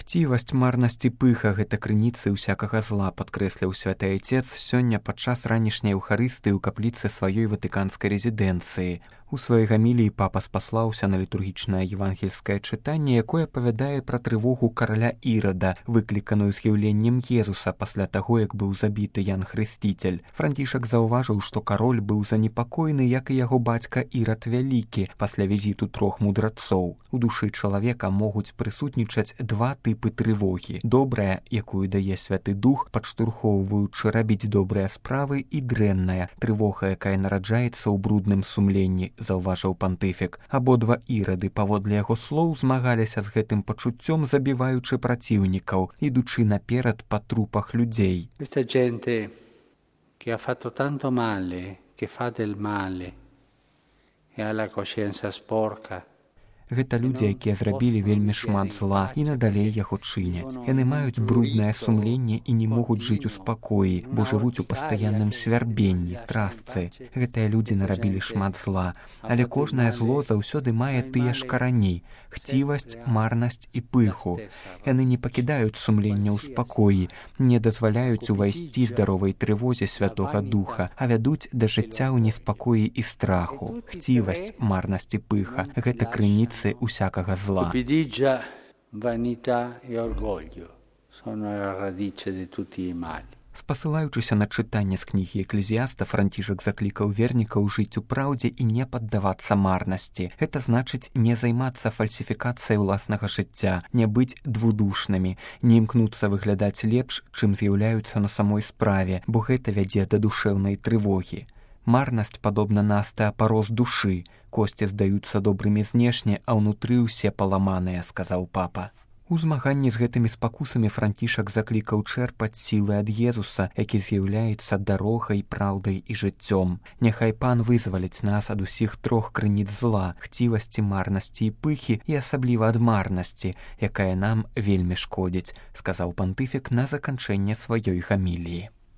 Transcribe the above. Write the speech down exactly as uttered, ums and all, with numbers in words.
Хцівасць, марнасць і пыха – гэта крыніцы ўсякага зла, падкрэсліў святы айцец сёння падчас ранішняй эўхарыстыі ў капліцы сваёй ватыканскай рэзідэнцыі. У сваёй гаміліі папа спаслаўся на літургічнае евангельскае чытанне, якое апавядае пра трывогу караля Ірада, выкліканую з'яўленнем Езуса пасля таго, як быў забіты Ян Хрысціцель. Францішак заўважыў, што кароль быў занепакоены, як і яго бацька Ірад Вялікі, пасля візіту трох мудрацоў. У душы чалавека могуць прысутнічаць два тыпы трывогі. Добрая, якую дае святы дух, падштурхоўваючы рабіць добрыя справы, і дрэнная, трывога, якая нараджаецца ў брудным сумленні, заўважыў пантыфік. Абодва ірады, паводле яго слоў, змагаліся з гэтым пачуццём, забіваючы праціўнікаў, ідучы наперад па трупах людзей. Questa gente che ha fatto tanto male, che fa del male e ha la coscienza sporca. Гэта людзі, якія зрабілі вельмі шмат зла і надалей яго чыняць. Яны маюць бруднае сумленне і не могуць жыць у спакоі, бо жывуць у пастаянным свярбенні, трасцы. Гэтыя людзі нарабілі шмат зла, але кожнае зло заўсёды мае тыя ж карані – хцівасць, марнасць і пыху. Яны не пакідаюць сумлення ў спакоі, не дазваляюць увайсці здаровай трывозе Святога Духа, а вядуць да жыцця ў неспакоі і страху. Хцівасць, марнасць і пыха – гэта крыніцы усякага зла. Cupidigia, vanità e orgoglio sono la radice di tutti i mali. Спасылаючыся на чытанне з кнігі Эклезіаста, Францішак заклікаў вернікаў жыць у праўдзе і не паддавацца марнасці. Гэта значыць не займацца фальсіфікацыяй уласнага жыцця, не быць двудушнымі, не імкнуцца выглядаць лепш, чым з'яўляюцца на самой справе, бо гэта вядзе да душэўнай трывогі. Марнасць падобна на астэапароз душы. Косці здаюцца добрымі знешне, а ўнутры ўсе паламаныя, сказаў папа. У змаганні з гэтымі спакусамі Францішак заклікаў чэрпаць сілы ад Езуса, які з'яўляецца дарогай, праўдай і жыццём. Няхай пан вызваліць нас ад усіх трох крыніц зла, хцівасці, марнасці і пыхі, і асабліва ад марнасці, якая нам вельмі шкодзіць, сказаў пантыфік на заканчэнне сваёй гаміліі.